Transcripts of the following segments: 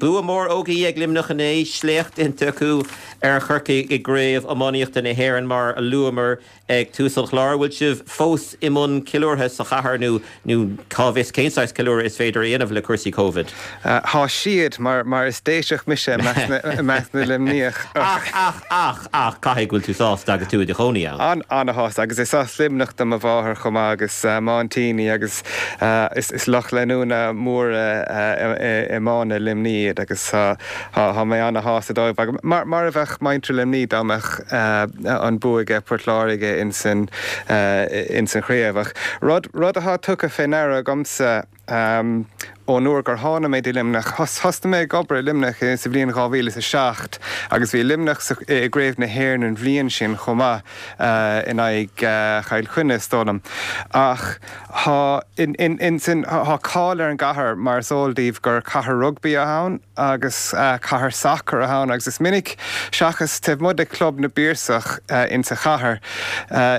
Bua mór Ógie ag Luimneach inné, sléacht déanta acu ar Chorcaigh i gCraobh Iománaíochta na hÉireann mar a luamar ag tús an chláir. Bhfuil sibh fós i mbun ceiliúrtha sa chathair nó nó cá bhfios cén saghas ceiliúradh is féidir a dhéanamh le cúrsaí Covid? Thá siad, mar mar is Déiseach mise i measc na Luimníoch. Ach, ach, ach, ach, caithfidh go bhfuil tú sásta agus tú i do chónaí ann. An, ana-shásta agus is as Luimneach do mo mháthair chomh maith agus m'aintíní agus Is lucht leanúna mór iomána Luimní iad agus tá mé ana-shásta dóibh. Mar a bheadh muintir Luimní dá mbeadh an bua aige Port Láirge ins an chraobh. Ach rud atá tugtha fé ndeara agamsa ón uair gur tháinig mé dtí Luimneach, thosnaigh mé ag obair i Luimneach sa bhliain 2007 agus bhí Luimneach i gCraobh na hÉireann an bhliain sin chomh maith in aghaidh Chill Chainnigh is dóigh liom. Ach Tá in, tá cáil ar an gcathair, mar is eol daoibh, gur cathair rugbaí atá ann agus cathair sacair atá ann agus is minic, seachas taobh amuigh de Chlub na bPiarsach insa chathair,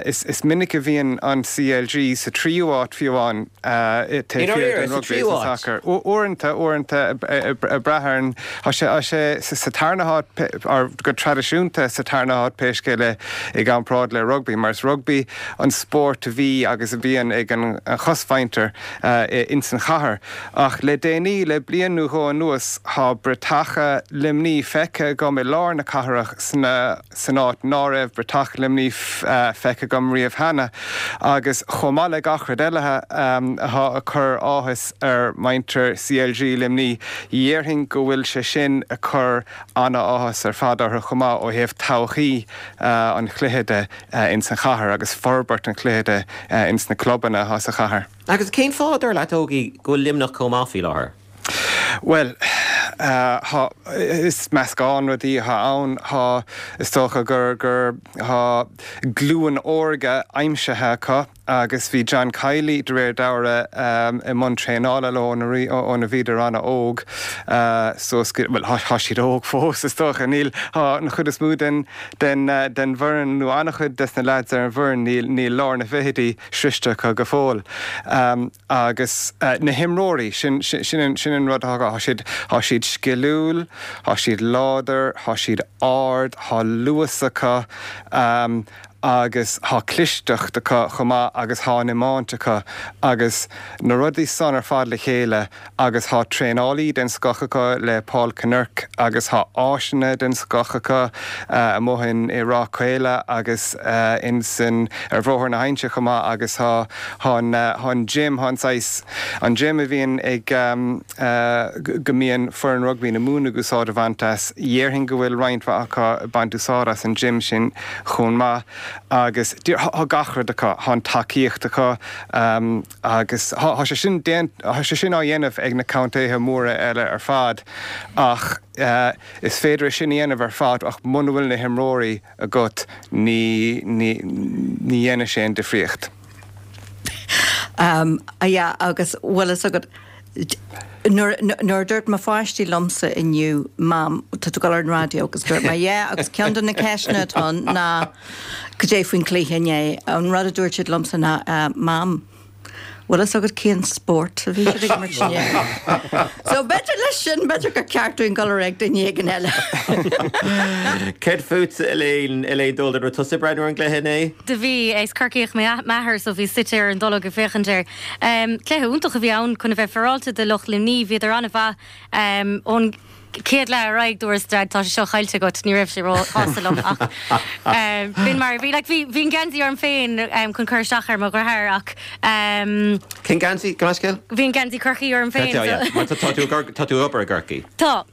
is minic a bhíonn an CLG sa tríú háit fiú amháin taobh thiar den rugbaí agus an sacar. Uaireanta, uaireanta, ag brath ar an, tá sé, tá sé sa tarna háit, or go traidisiúnta sa tarna háit pé scéal é i gcomparáid le rugbaí, mar is rugbaí an spórt a bhí agus a bhíonn ag an chosmhuintir ins an chathair. Ach le déanaí, le bliain nó dhó anuas, thá bratacha Luimní feicthe agam i lár na cathrach sna san áit ná raibh bratach Luimní feicthe agam riamh cheana. Agus chomh maith le gach rud eile athá ag cur áthas ar mhuintir CLG Luimní, dhéarfainn go bhfuil sé sin ag cur ana-áthas ar fad orthu chomh maith ó thaobh todhchaí an chluiche de. ins an chathair agus forbairt an chluiche de ins na clubanna atá sa chathair. Agus cén fáth, dar leat, Ógie, go bhfuil Luimneach chomh maith faoi láthair? Bhuel, thá, is meascán rudaí atá ann. Thá, is dócha gur, gur, thá glúin órga aimsithe acu. agus bhí John Kiely, de réir dealraimh, i mbun traenála leo óna bhíodar an-óg suas go, bhuel, tá siad óg fós, is dócha, níl, tá an chuid is mó den, den, den bhfoireann, nó an-chuid des na leaids ar an bhfoireann, níl, níl lár na bhfichidí sroichte acu go fóill. Agus na himreoirí, sin, sin an, sin an rud atá acu, tá siad, tá siad sciliúil, tá siad láidir, tá siad ard, tá luas acu, agus thá clisteacht acu chomh maith agus thá an iomáint acu agus na rudaí san ar fad le chéile agus thá traenálaí den scoth acu le Paul Kinnerk agus thá áiseanna den scoth acu amuigh in i Ráth Caola agus in san ar Bhóthar na hInse chomh maith agus thá thá an thá an gym thá an saghas an gym a bhíonn ag go mbíonn foireann rugbaí na Mumhan ag úsáid a bhaint as dhéarfainn go bhfuil roinnt mhaith acu ag baint úsáid as an gym sin chomh maith agus thá gach rud acu, thá an tacaíocht acu agus thá sé sin thá sé sin á dhéanamh ag na contaetha móra eile ar fad ach is féidir é sin a dhéanamh ar fad ach muna bhfuil na himreoirí agat ní ní ní dhéanfaidh sé aon difríocht. Yeah agus bhfuil fhios agat Nuair a dúirt mo pháistí liomsa inniu, Mam, tá tú ag dul ar an raidió agus dúirt mé, yeah agus ceann de na ceisteanna atá ann ná cad é faoin chluiche inné. An rud a dúirt siad liomsa ná, Mam, bhfuil fhios agat cén spórt a bhí siad ag imirt inné? So b'fhéidir leis sin, b'fhéidir gur ceart dúinn dul ar aghaidh duine éigin eile. Céard fútsa, Elaine, Elaine Dolan, raibh tusa ag breathnú ar an gcluiche inné? Do bhí, is Corcaíoch m'athair so bhíos suite ar an dtolg ag féachaint air. Cluiche iontach a bhí ann, chun a bheith féaráilte do lucht Luimní. Bhíodar an-mhaith ón chéad leath ar aghaidh. Dúras, Dad, tá sé seo caillte agat. Ní raibh sé ró-shásta liom ach b'in mar a bhí. Like, bhí, bhí an geansaí orm féin chun cur isteach ar mo dheartháir ach. Cén geansaí? Gabh mo leithscéal? Bhí an geansaí Corcaí orm féin. Tá, yeah. Mar tá tú, tá tú ag obair i gCorcaigh. Tá.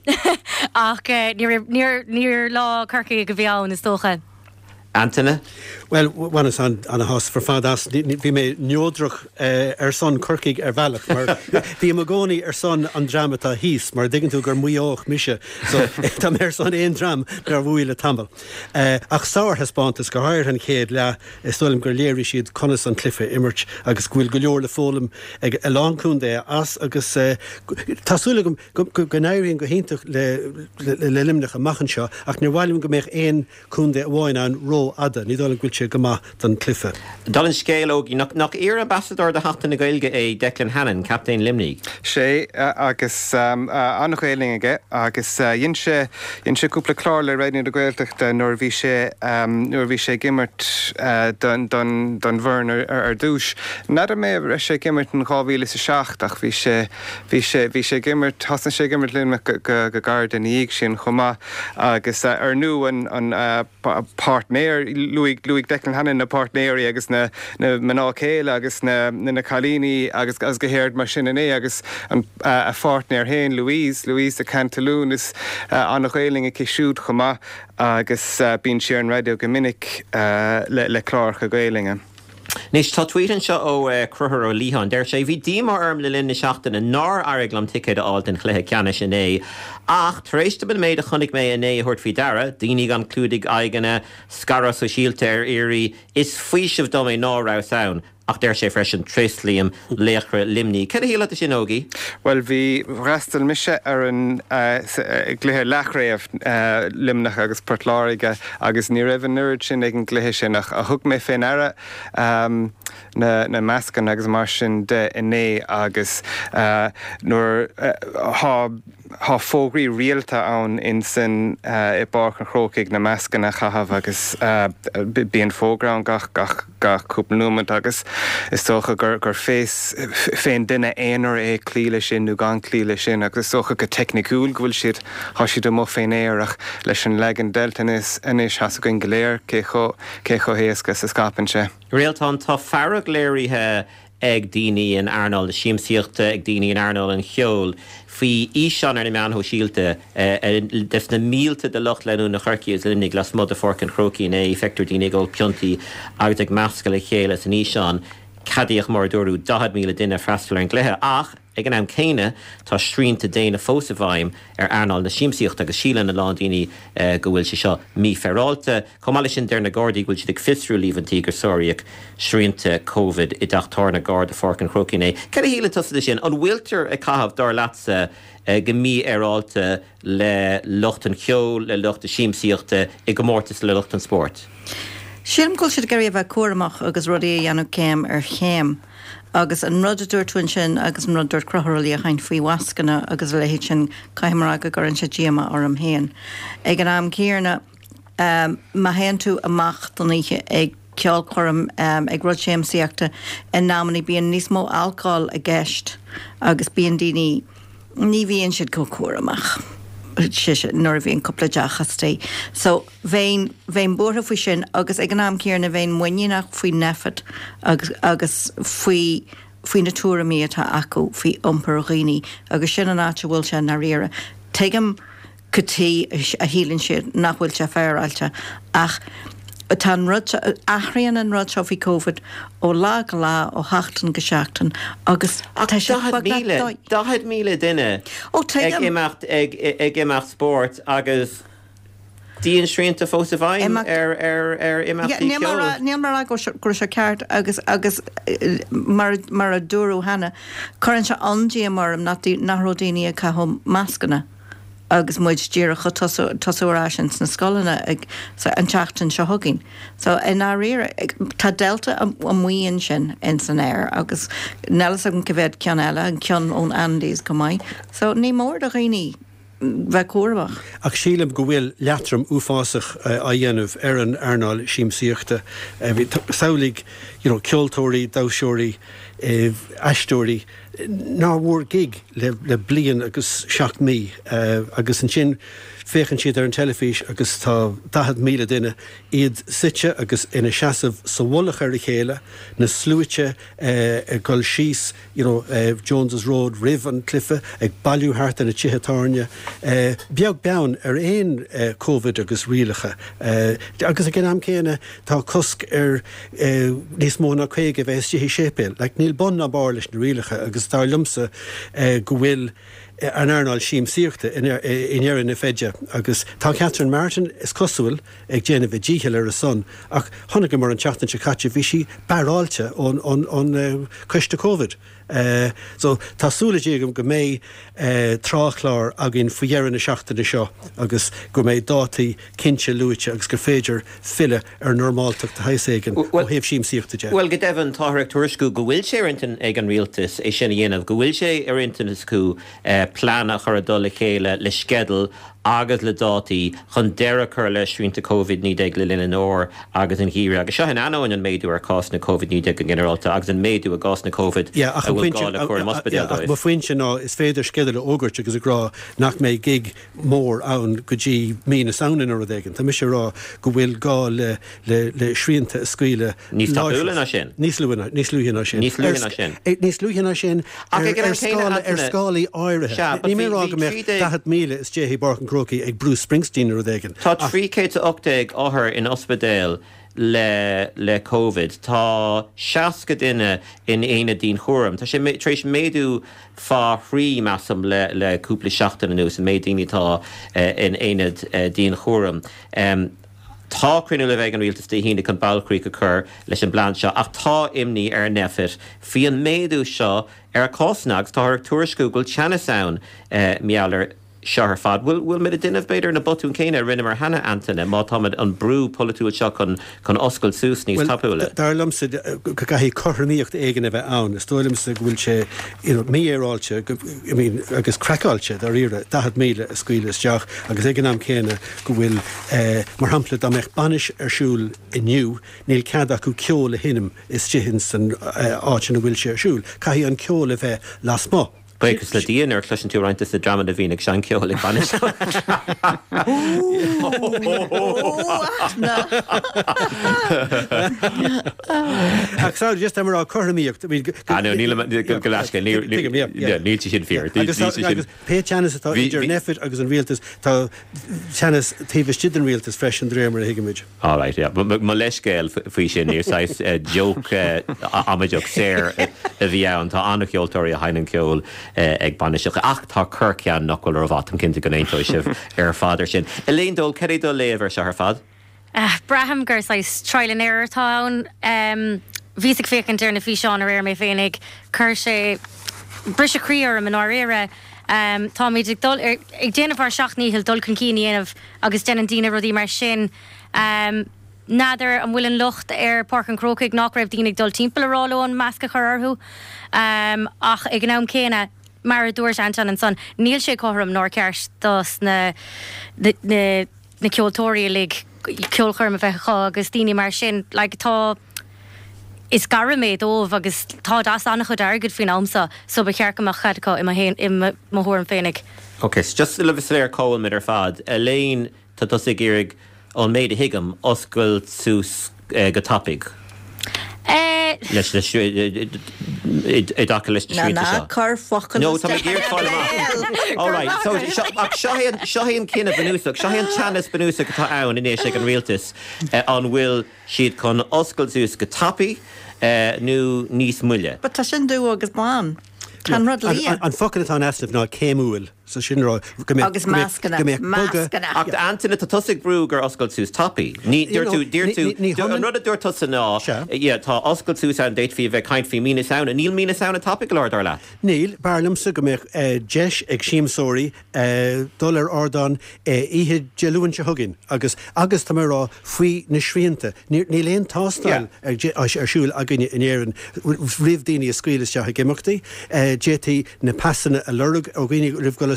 Ach ní raibh, níor, níor lá Corcaígh a bhí ann, is dócha. Antaine? Bhuel, bhaineas ana-shásamh ar fad as. Bhí mé neodrach ar son Corcaigh ar bhealach mar bím i gcónaí ar son an dream atá thíos mar dtuigeann tú gur Maigh Eoach mise so tá mé ar son aon dream nár bhuaigh le tamall. Ach sárthaispeántas, go háirithe an chéad leath, is dóigh liom gur léirigh siad conas an cluiche a imirt agus go bhfuil go leor le foghlaim ag a lán contaetha as agus tá súil agam go n-éiríonn go hiontach le Luimneach amach anseo ach níor mhaith liom go mbeadh aon contae amháin ann ró. rófhada, ní dóigh liom go bhfuil sé go maith don chluiche. Dála an scéil, Ógie, nach iar-ambasadóir do Sheachtain na Gaeilge é Declan Hannon, captaen Luimnigh? Sé, agus an-Ghaelainn aige, agus dhein sé, dhein sé cúpla clár le Raidió na Gaeltachta nuair a bhí sé, nuair a bhí sé ag imirt don, don, don bhfoireann ar, ar dtús. N'fheadar mé an raibh sé ag imirt in 2007 ach bhí sé, bhí sé, bhí sé ag imirt, thosnaigh sé ag imirt Luimneach go, go, go gairid ina dhiaidh sin chomh maith agus ar ndú an, an, páirtnéir, luaigh, luaigh Declan Hannon na páirtnéirí agus na, na mná céile agus na, na cailíní agus, agus go háirid mar sin inné agus an, a pháirtnéir féin Louise, Louise de Cantelune, is an-Ghaelainn aici siúd chomh maith agus bíonn sí ar an raidió go minic le, le cláracha Gaelainne. Anois, tá tweet anseo ó Chruthúr Ó Liatháin. Deir sé, Bhí díomá orm le linn na seachtaine nár éirigh liom ticéad a fháil don chluiche ceannais inné. Ach, tar éis dom an méid a chonaic mé inné a thabhairt faoi deara, daoine gan clúdaigh aghaidheanna, scaradh sóisialta ar iarraidh, is faoiseamh dom é ná rabhas ann. Ach deir sé freisin, Tréaslaím laochra Luimnigh. Céard a shílfeá de sin, Ógie? Bhuel, bhí, fhreastail mise ar an gcluiche leathchraobh, Luimneach agus Port Láirge, agus ní raibh an oiread sin ag an gcluiche sin ach thug mé fé ndeara na mascanna agus mar sin de inné agus nuair thá thá fógraí rialta ann insan i bPáirc an Chrócaigh na mascanna a chaitheamh agus bíonn fógra ann gach gach gach cúpla nóiméad agus is dócha gur gur fés fén duine aonair é cloí leis sin nó gan cloí leis sin agus is dócha go teicniciúil go bhfuil siad Thá siad amuigh fén aer ach leis an leagan Delta anois thá's againn go léir cé chomh cé chomh héasca is a scaipeann sé. Réaltán, tá fearg léirithe ag daoine in earnáil na siamsaíochta, ag daoine in earnáil an cheoil faoi fhíseán ar na meáin shóisialta des na mílte de lucht leanúna Chorcaí agus Luimnigh lasmuigh de Pháirc an Chrócaigh inné. Feictear daoine ag ól piontaí agus ag meascadh le chéile san fhíseán. Ceadaíodh, mar a dúradh, 40,000 duine freastal ar an gcluiche ach, Ag an am céanna, tá srianta déine fós i bhfeidhm ar earnáil na siamsaíochta agus síleann a lán daoine go bhfuil sé seo mífhéaráilte. Chomh maith leis sin, deir na Gardaí go bhfuil siad ag fiosrú líomhaintí gur sáraíodh srianta Covid i dteach tábhairne gar do Pháirc an Chrócaigh inné. Céard a shíleann tusa de sin? An bhfuiltear ag caitheamh, dar leatsa, go mífhéaráilte le lucht an cheoil, le lucht na siamsaíochta i gcomórtas le lucht an spóirt? Sílim go bhfuil siad ag iarraidh a bheith cúramach agus rudaí a dhéanamh céim ar chéim. Agus an rud a dúirt tú ansin agus an rud a dúirt Conchúr Ó Liatháin faoi mhascanna agus a leithéid sin, caithfidh mé a rá go gcuireann sé díomá orm féin. Ag an am céanna, má théann tú amach don oíche ag ceolchoirm, ag rud siamsaíochta, in amannaí bíonn níos mó alcóil i gceist agus bíonn daoine, ní bhíonn siad chomh cúramach nuair a bhíonn cúpla deoch istigh. So bheinn, bheinn buartha faoi sin agus ag an am céanna bheinn muiníneach faoi Nphet agus, agus faoi, faoi na tuairimí atá acu faoi iompar dhaoine agus sin an áit a bhfuil sé i ndáiríre. Tuigim cad chuige a shíleann siad nach bhfuil sé féaráilte ach tá an rud seo, athraíonn an rud seo faoi Covid ó lá go lá, ó sheachtain go seachtain agus tá sé beagnach 40,000, 40,000 duine ag imeacht ag imeacht spóirt agus diansrianta fós i bhfeidhm ar imeachtaí ceoil. Níl mé ag rá go raibh sé ceart agus agus mar mar a dúradh cheana, cuireann sé an-díomá orm nach raibh daoine ag caitheamh mascanna. agus muid díreach ag tosú, tosú ar ais ins na scoileanna ag, so an tseachtain seo chugainn. So i ndáiríre, tá Delta amuigh ansin ins an aer agus níl fhios agam cá mhéad ceann eile, an ceann ón Andes chomh maith. So ní mór do dhaoine bheith cúramach. Ach sílim go bhfuil leatrom uafásach á dhéanamh ar an earnáil siamsaíochta. Samhlaigh, you know, ceoltóirí, damhsóirí, aisteoirí, nár bhfuair gig le bliain agus 7 mí agus ansin féachann siad ar an teilifís agus tá 40,000 duine, iad suite agus ina seasamh sa mhullach ar a chéile, na sluaite ag dul síos you know Jones's Road roimh an cluiche, ag bailiú thart ar na tithe tábhairne, beag beann ar aon Covid agus rialacha. Agus ag an am céanna tá cosc ar níos mó ná 50 a bheith istigh i séipéal. Like, níl bun ná barr leis na rialacha agus dar liomsa go bhfuil. an earnáil siamsaíochta i ndeireadh na feide agus tá Catherine Martin, is cosúil, ag déanamh a díchill ar a son ach chonaiceamar an tseachtain seo caite bhí sí barráilte ón coiste Covid. So tá súil agam go mbeidh tráthchlár againn faoi dheireadh na seachtaine seo agus go mbeidh dátaí cinnte luaite agus gur féidir filleadh ar normáltacht de shaghas éigin ó thaobh siamsaíochta de. Bhuel, go deimhin, táthar ag tuairisciú go bhfuil sé ar intinn ag an rialtas é sin a dhéanamh, go bhfuil sé ar intinn acu plean a chur i dtoll a chéile le sceideal agus le dátaí chun deireadh a chur le srianta Covid-19 le linn an fhómhair agus an gheimhridh. Agus seo in ainneoin an méadú ar chásanna Covid-19 go ginearálta agus an méadú i gcásanna Covid a bhfuil gá le cúram ospidéil dóibh. Ach mo phointe ná is féidir sceideal a fhógairt agus ag rá nach mbeidh gig mór ann go dtí mí na Samhna nó rud éigin. Tá mise ag rá go bhfuil gá le le srianta a scaoileadh Níos tapúla ná sin. Níos luaithe níos luaithe ná sin. Níos luaithe ná sin. Níos luaithe ná sin ar ar scála ar scálaí áirithe. Níl mé ag rá go mbeadh 40,000 istigh i bPáirc an Chrócaigh ag Bruce Springsteen nó rud éigin. Tá 318 othar in ospidéal le le Covid. Tá 60 duine in aonad dianchúraim. Tá sé tar éis méadú fá thrí, measaim, le le cúpla seachtain anuas, an méid daoine atá in aonad dianchúraim. Tá cruinniú le bheith ag an Rialtas Dé hAoine chun bailchríoch a chur leis an bplean seo ach tá imní ar Nphet faoi an méadú seo ar chásanna agus táthar ag tuairisciú go bhfuil teannas ann mar gheall air seo ar fad. Bhfuil bhfuil muid ag déanamh b'fhéidir na botúin céanna a rinneamar cheana, Antaine, má táimid an brú polaitiúil seo chun chun oscailt suas níos tapúla? Bhuel, dar liomsa go gcaithfidh cothromaíocht éigin a bheith ann. Is dóigh liomsa go bhfuil sé you know mífhéaráilte I mean agus craiceáilte dáiríre 40,000 a scaoileadh isteach agus ag an am céanna go bhfuil, mar shampla, dá mbeadh bainis ar siúl inniu, níl cead acu ceol a sheinm istigh ins an áit ina bhfuil sé ar siúl. Caithfidh an ceol a bheith lasmuigh. Buíochas le Dia nuair a chloiseann tú roinnt de na dreamanna a bhíonn ag seinm ceoil ag bainis. Ach sorry, just tá mé ag rá cothromaíocht. Ah no, níl, go leasc, níl sé sin fíor. Agus Pé teannas atá idir Nphet agus an rialtas, tá teannas taobh istigh den rialtas freisin, de réir mar a thuigimid. All right, yeah. Mo leithscéal faoi sin, níor saghas joke amaideach saor a bhí ann. Tá an-cheoltóirí a sheinneann ceol ag bainiseacha, ach tá corrcheann nach bhfuil rómhaith. Táim cinnte go n-aontóidh sibh ar fad ar sin. Elaine Doyle, cad é do léamh ar seo ar fad? Braithim gur saghas trial and error atá ann. Bhíos ag féachaint ar na físeáin aréir mé féinig. Chuir sé briseadh croí orm i ndáiríre. Táimid ag dul, ag déanamh ár seacht ndícheall dul chun cinn a dhéanamh agus déanann daoine rudaí mar sin. N'fheadar an bhfuil an locht ar Páirc an Chrócaigh nach raibh daoine ag dul timpeall a rá leo an masc a chur orthu. Ach ag an am céanna, mar a dúirt Anton ansan, níl sé cothrom nár ceart dos na na na ceoltóirí uilig ceolchoirm a bheith acu agus daoine mar sin, like tá, is gairm é dóibh agus táid as an-chuid airgid faoin am seo so ba cheart go mbeadh cead acu i mo fhéin, i mo thuairim féinig. Ok, so just le bheith soiléir cá bhfuil muid ar fad, Elaine, tá tusa ag iarraidh, ón méid a thuigim, oscailt suas go tapaidh. Leis na i dtaca leis na srianta seo. Ná cuir focal No, tá mé ag iarraidh fáil amach. All right, so seo, ach seo é an, seo é an cinneadh bunúsach, seo é an teannas bunúsach atá ann anois ag an rialtas, an bhfuil siad chun oscailt suas go tapaidh nó níos moille? But tá sin dubh agus bán. Tá an rud liath. An focal atá in easnamh ná céimiúil. So sin rá go mbeadh Agus mascanna. go mbeadh bogadh. Mascanna. Ach Antaine, tá tusa ag brú gur oscailt suas tapaidh. Ní, dúirt tú, dúirt tú, Ní an hionann. rud a dúirt tusa ná, Sea. yeah, tá oscailt suas ann, d'fhéadfaí a bheith ag caint faoi mí na Samhna. Níl mí na Samhna tapaidh go leor, dar leat? Níl. B'fhearr liomsa go mbeadh deis ag siamsóirí dul ar ardán oíche Dé Luain seo chugainn agus, agus tá mé ag rá faoi na srianta, níl aon tástáil ar siúl againne in Éirinn roimh daoine a scaoileadh isteach ag imeachtaí. D'fhéadfaí na pasanna a lorg ó dhaoine roimh dhul isteach.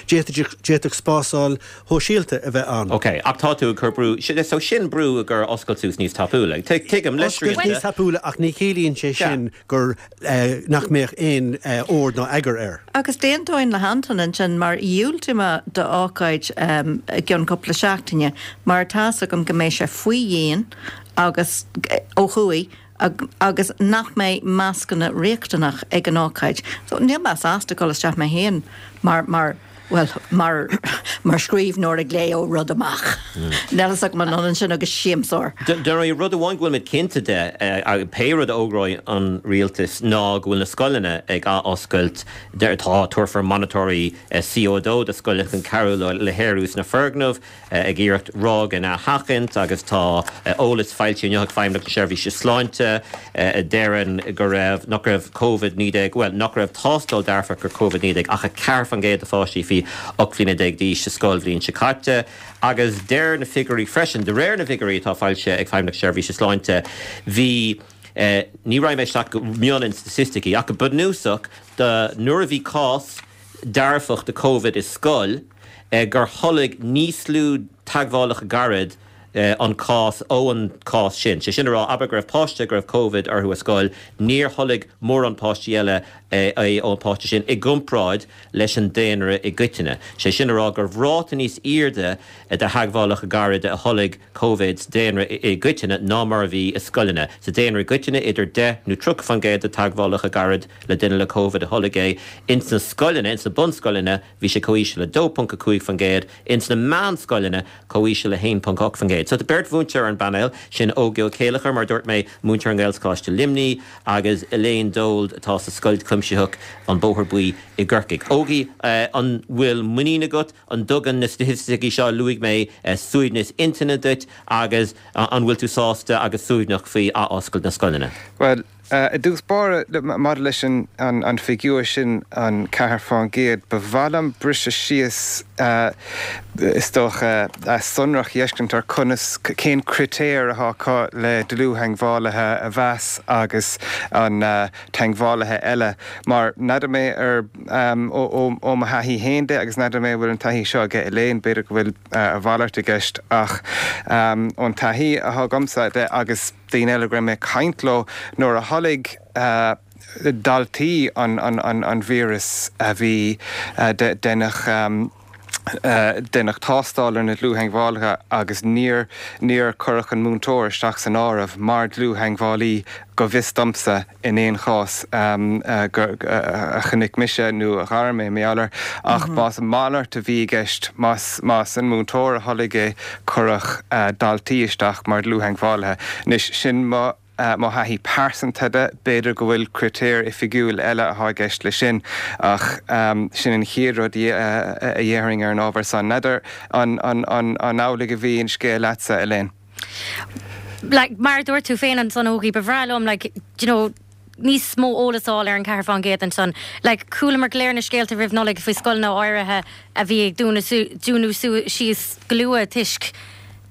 D'fhéadfadh spásáil shóisialta a bheith ann. Ok, ach tá tú ag cur brú, so sin brú gur oscailt suas níos tapúla. Tuigim, le srianta. Oscailt níos tapúla ach ní chiallaíonn sé sin gur nach mbeadh aon ord ná eagar air. Agus d'aontóinn le hAnton ansin mar dhiúltaigh mé d'ócáid i gceann cúpla seachtaine mar tá's agam go mbeidh sé faoi dhíon agus ó thuaidh agus nach mbeidh mascanna riachtanach ag an ócáid. So níl mé sásta dul isteach mé féin mar mar. Bhuel, mar, mar scríbhneoir ag léamh rud amach. Níl a fhios agam an ionann sin agus siamsóir. Dar ndóigh, rud amháin go bhfuil muid cinnte de, pé rud a fhógróidh an rialtas, ná go bhfuil na scoileanna ag athoscailt. Tá, tabharfar monatóirí CO2 do scoileanna chun cabhrú leo le haerú sna foirgnimh. ag iarracht ráigeanna a sheachaint agus tá eolas foilsithe inniu ag Feidhmeannacht na Seirbhíse Sláinte a deireann go raibh, nach raibh Covid-19, bhuel, nach raibh tástáil dearfach ar Covid-19 ach 4% de pháistí faoi 18 bhliana d'aois sa scoilbhliain seo caite agus deir na figiúirí freisin, de réir na bhfigiúirí atá foilsithe ag Feidhmeannacht na Seirbhíse Sláinte, bhí, ní raghaidh mé isteach go mion in staitisticí ach go bunúsach do nuair a bhí cás dearfach de Covid i scoil, gur tholg níos lú teagmhálacha gairid an cás ó an cás sin. Sé sin a rá, abair go raibh páiste go raibh Covid orthu i scoil, níor tholg mórán páistí eile é ón páiste sin i gcomparáid leis an daonra i gcoitinne. Sé sin a rá go raibh ráta níos airde de theagmhálacha gairide a tholg Covid sa daonra i gcoitinne ná mar a bhí i scoileanna. Sa daonra i gcoitinne, idir 10 nó 30% de teagmhálacha gairid le duine le Covid a tholg é. Ins na scoileanna, ins na bunscoileanna, Bhí sé chomh híseal le 2.5%, ins na meánscoileanna chomh híseal le 1.8%. So tá beirt mhúinteoir ar an bpainéal, sin Ógie Ó Céilleachair, mar a dúirt mé, múinteoir i nGaelcholáiste Luimnigh, agus Elaine Dold atá sa Scoil Chuimsitheach, An Bóthar Buí i gCorcaigh. Ógie, an bhfuil muinín agat? An dtugann na staitisticí seo a luaigh mé suaimhneas intinne duit agus an bhfuil tú sásta agus suaimhneach faoi athoscailt na scoileanna? Bhuel, I dtús báire, maidir leis an bhfigiúr sin, an 4%, ba mhaith liom briseadh síos, is dócha, sonrach a fheiscint ar conas, cén critéir atá acu le dlúth-theagmhálaithe a mheas agus an teagmhálaithe eile. Mar n'fheadar mé ar, ó mo thaithí féin de, agus n'fheadar mé an bhfuil an taithí seo aige Elaine, b'fhéidir go bhfuil a mhalairt i gceist, ach ón taithí atá agamsa de agus. daoine eile go raibh mé ag caint leo nuair a tholg daltaí an víreas a bhí deineadh deineadh tástáil ar na dlúth-theagmhálaithe agus níor níor cuireadh an múinteoir isteach san áireamh mar dlúth-theagmhálaí go bhfios domsa in aon chás gur a chonaic mise nó a ghair mé mar gheall air ach más a mhalairt a bhí i gceist, más más an múinteoir a tholg é, cuireadh daltaí isteach mar dhlúth-theagmhálaithe. Anois, sin mo mo thaithí pearsanta de, b'fhéidir go bhfuil critéir oifigiúil eile atá i gceist leis sin ach sin an chéad rud a dhéarfainn ar an ábhar san. N'fheadar an an an amhlaidh a bhí an scéal leatsa, Elaine? Like, mar a dúirt tú féin ansan, Ógie, ba bhreá liom, like, do you know, níos mó eolas a fháil ar an 4% ansan. Like, chualamar go léir na scéalta roimh Nollaig faoi scoileanna áirithe a bhí ag dúnadh dúnadh síos go luath toisc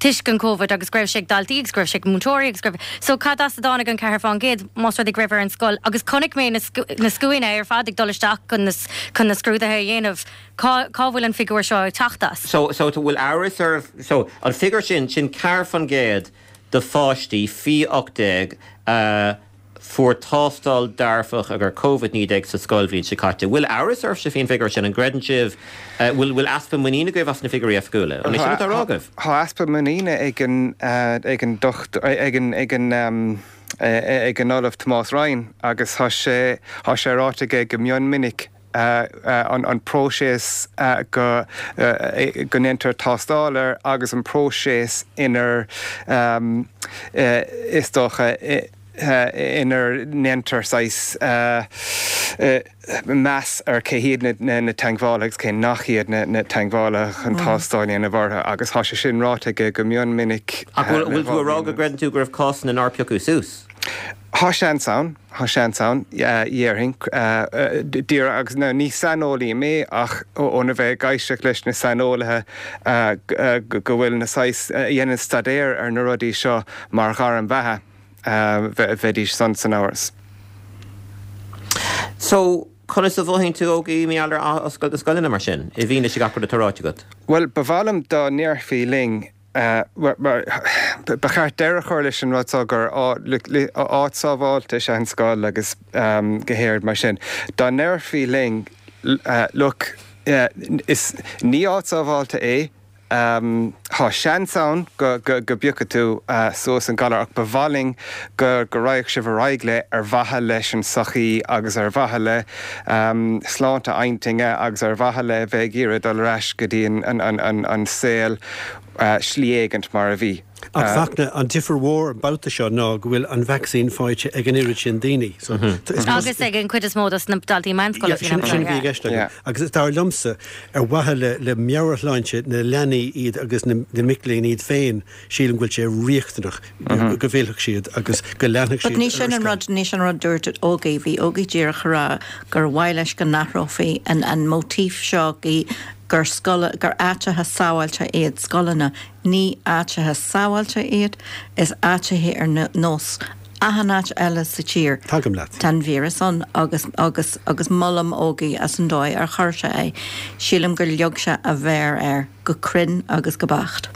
toisc an Covid agus go raibh sé ag daltaí agus go raibh sé ag múinteoirí agus go raibh so cad as a dtáinig an 4% más rud é go raibh ar an scoil agus chonaic mé na na scuainí ar fad ag dul isteach chun na chun na scrúduithe a dhéanamh Cá, cá bhfuil an figiúr seo ag teacht as? So, so, bhfuil amhras oraibh, so, an figiúr sin, sin 4% de pháistí faoi 18 a fuair tástáil dearfach ar Covid-19 sa scoilbhliain seo caite. Bhfuil amhras oraibhse faoin bhfigiúr sin? An gcreideann sibh, bhfuil, bhfuil easpa muiníne agaibh as na figiúirí oifigiúla? An é sin atá á rá agaibh? Tá easpa muiníne ag an, ag an docht, ag an, ag an, ag an Ollamh Tomás Ryan agus tá sé, tá sé ráite aige go mion minic, an próiseas go ndéantar tástáil air agus an próiseas inar, is dócha, inar ndéantar saghas meas ar cé hiad na teagmhálaithe agus cé nach iad na teagmhálaithe chun tástáil a dhéanamh orthu agus tá sé sin ráite aige go mion minic. Ach bhfuil tú a rá go gcreideann tú go raibh cásanna nár piocadh suas? Tá seans ann, tá seans ann, dhéarfainn, díreach, agus now ní saineolaí mé ach óna bheith ag éisteacht leis na saineolaithe go bhfuil na saghas, a dhéanann staidéar ar na rudaí seo mar ghairm bheatha, bheidís san san amhras. So, conas a mhothaíonn tú, Ógie, mar gheall ar athoscailt na scoileanna mar sin, i bhfianaise gach rud atá ráite agat? Bhuel, ba mhaith liom dá ndéarfaí linn Ba cheart deireadh a chur leis an rud seo gur áit sábháilte is ea an scoil agus go háirid mar sin. Dá ndéarfaí linn, look, is ní áit sábháilte é. Tá seans ann go bpiocfaidh tú suas an galar ach ba mhaith linn go raghadh sibh ar aghaidh le ar mhaithe leis an sochaí agus ar mhaithe le sláinte intinne agus ar mhaithe le bheith ag iarraidh dul ar ais go dtí an saol slí éigint mar a bhí. Ach Fachtna, an difear mhór an babhta seo ná go bhfuil an vacsaín faighte ag an oiread sin daoine. So, is Agus ag an chuid is mó dos na daltaí meánscoile faoin am seo. Sin a bhí i gceist agam. Agus dar liomsa, ar mhaithe le le meabhairshláinte na leanaí iad agus na mic léinn iad féin, sílim go bhfuil sé riachtanach go bhfillfeadh siad agus go leanfadh siad ar ní sin an rud, ní sin an rud dúirt Ógie, bhí Ógie díreach a rá gur mhaith leis go n-athrófaí an an móitíf seo gur scoil, gur áiteacha sábháilte iad scoileanna. Ní áiteacha sábháilte iad, is áiteacha ar nós achan áit eile sa tír. Tagaim leat. Tá an víreas ann agus, agus, agus molaim Ógie as an dóigh ar chuir sé é. Sílim gur leag sé a mhéar air go cruinn agus go beacht.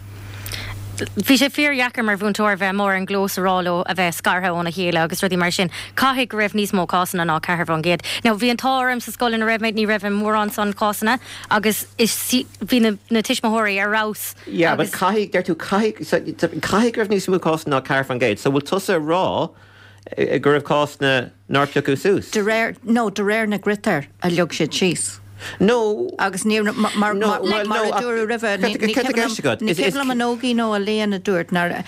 Bhí sé fíordheacair mar mhúinteoir bheith amuigh ar an gclós a rá leo a bheith scartha óna chéile agus rudaí mar sin. Caithfidh go raibh níos mó cásanna ná 4%. Now bhí an t-ádh orm sa scoil ina raibh mé, ní raibh mórán san cásanna agus is, bhí na, na tuismitheoirí ar fheabhas. Yeah, but caithfidh, deir tú, caithfidh, so, caithfidh go raibh níos mó cásanna ná 4%. So bhfuil tusa ag rá go raibh cásanna nár piocadh suas? De réir, no, de réir na gcritéar a leag siad síos. No. Agus ní, mar, mar, No, well, mar no, a dúradh roimhe, ní, ní cad tá i gceist agat? ní cuimhin liom an Ógie nó Elaine a dúirt nár,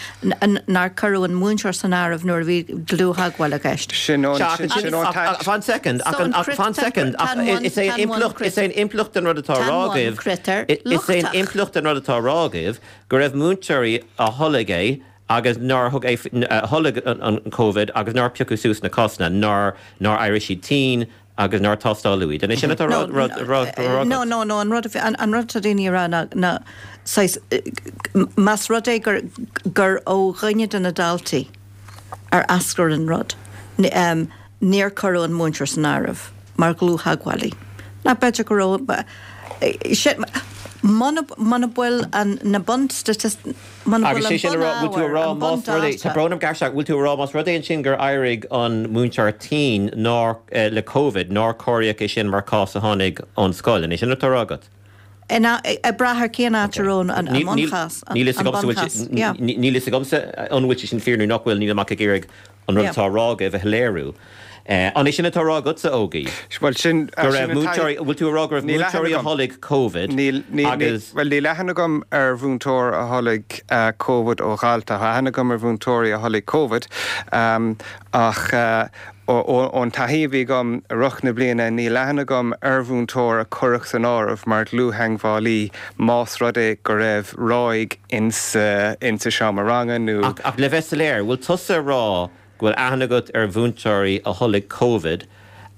nár cuireadh an múinteoir san áireamh nuair a bhí dlúth-theagmháil i gceist. Sin ón, sin, sin ón ach, fan second, ach, an, ach, fan second, ach is é an impleacht, is é an impleacht den rud atá á rá agaibh, is é an impleacht den rud atá á rá agaibh go raibh múinteoirí a tholg é agus nár thug é, a tholg an Covid agus nár piocadh suas na cásanna, nár, nár éirigh siad tinn agus nár tástáladh iad. An é sin atá á rá agat? No, no, no, an rud, an rud atá daoine a rá ná, ná saghas, más rud é gur, gur ó dhuine de na daltaí ar eascair an rud, níor cuireadh an múinteoir san áireamh mar dhlúth-theagmhálaí. Ná b'fhéidir go raibh, sin, muna, muna bhfuil an, na bunstaitisticí, Muna bhfuil an bunábhar, an bundata. Tá brón orm gearr bhfuil tú a rá más rud é ansin gur éirigh an múinteoir tinn nár le Covid, nár comhairíodh é sin mar cás a tháinig ón scoil, an é sin atá á rá agat? Ag brath ar cén áit a raibh an bunchás, an bunchás, yeah. Níl fhios agamsa an bhfuil sé sin fíor nó nach bhfuil, nílim ach ag iarraidh an rud atá á rá agaibh a shoiléiriú. An é sin atá á rá agatsa, Ógie? Bhuel, sin, Go raibh múinteoirí, bhfuil tú a rá go raibh múinteoirí a tholg Covid Níl, níl, agus. Bhuel, níl aithne agam ar mhúinteoir a tholg Covid ó dhalta. Tá aithne agam ar mhúinteoirí a tholg Covid, ach ón taithí a bhí agam i rith na bliana, níl aithne agam ar mhúinteoir a cuireadh san áireamh mar dhlúth-theagmhálaí más rud é go raibh ráig insa seomra ranga nó. Ach le bheith soiléir, bhfuil tusa a rá go bhfuil aithne agat ar mhúinteoirí a tholg Covid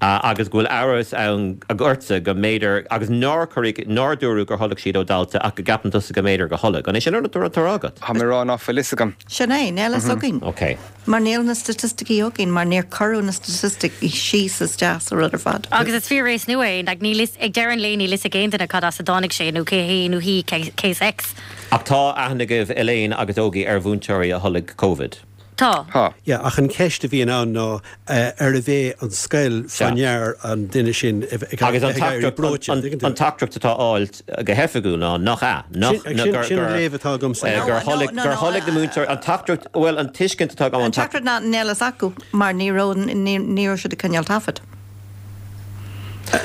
agus go bhfuil amhras ann ortsa go mb'fhéidir, agus nár cuireadh, nár dúradh gur tholg siad ó dhalta ach go gceapann tusa go mb'fhéidir gur tholg. An é sin an rud atá á rá agat? Tá mé ag rá ná fuil fhios agam. Sin é, níl fhios againn. Ok. Mar níl na staitisticí againn, mar níor cuireadh na staitisticí síos isteach sa rud ar fad. Agus is fíor-víreas nua é, like níl fhios, ag deireadh an lae níl fhios ag aon duine cad as a dtáinig sé nó cé hé nó hí case X. Ach tá aithne agaibh, Elaine agus Ógie, ar mhúinteoirí a tholg Covid? Tá. Tá. Yeah, ach an ceist a bhíonn ann ná arbh é an scoil fá ndear an duine sin ag Agus an éirí breoite, an dtuigeann tú? An teachtaireacht atá á fháilt go hoifigiúil ná nach ea, nach, Sin, sin, sin an léamh atá agamsa. gur tholg, gur tholg na múinteoirí, an teachtaireacht, bhuel, an tuiscint atá agam, An teachtaireacht ná níl fhios acu mar ní raibh, ní, ní raibh siad ag coinneáil taifead.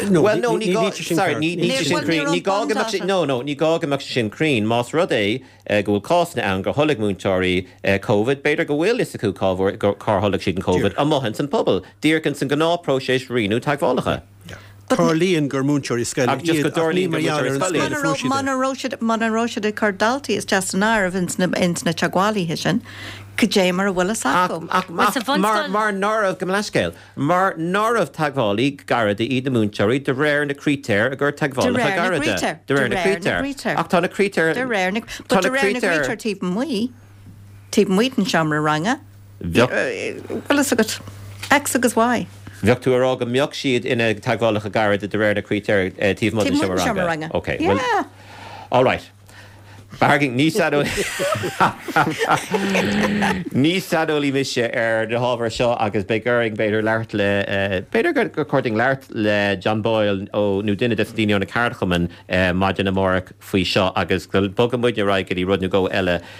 No, Bhuel, no, ní, ní ní, gá, níl sé sin sorry, ceart. ní, níl sé sin Bhuel, ní cruinn, raibh ní gá go mbeadh sé, bundata. no, no, ní gá go mbeadh sé sin cruinn, más rud é go bhfuil cásanna ann gur tholg múinteoirí Covid, b'fhéidir go bhfuil fhios acu cá bhfuair, cár tholg siad an Covid, amuigh ins an pobal, díreach ins an gnáthphróiseas rianú teagmhálacha. Tarlaíonn gur múinteoirí scoile Ach just iad go ach ní dtarlaíonn mar gur gheall ar múinteoirí an scoile scoil iad. a fuair siad é. Muna raibh siad, muna raibh siad ag cur daltaí isteach san áireamh ins na, ins na teagmhálaithe sin, cad é mar a bhfuil fhios Ach, acu? ach, Bhuel, sa ach, mar, bhunscoil. mar ná raibh, gabh mo leithscéal. Mar ná raibh teagmhálaí gairide iad na múinteoirí de réir na critéir i gcomhair De teagmhálacha réir na gairide. gcritéar. De réir na gcritéar. Ach tá na critéir. De réir na, Tá but na de réir na critéir. gcritéar taobh amuigh, taobh amuigh den seomra ranga, Bheadh. bhfuil fhios agat, X agus Y. Bheadh tú a rá go mbeadh siad ina dteagmhálacha gairide de réir na critéir taobh amuigh den Taobh amuigh den seomra seomra ranga. ranga. Ok, bhuel, Yeah. all right. Bargain, ní Ní saineolaí mise ar na hábhair seo agus beidh orainn b'fhéidir labhairt le, b'fhéidir gur chóir dúinn labhairt le John Boyle ó, nó duine des na daoine ó na ceardchumainn maidin amárach faoi seo agus go bogfaidh muid ar aghaidh go dtí rud nó dhó eile.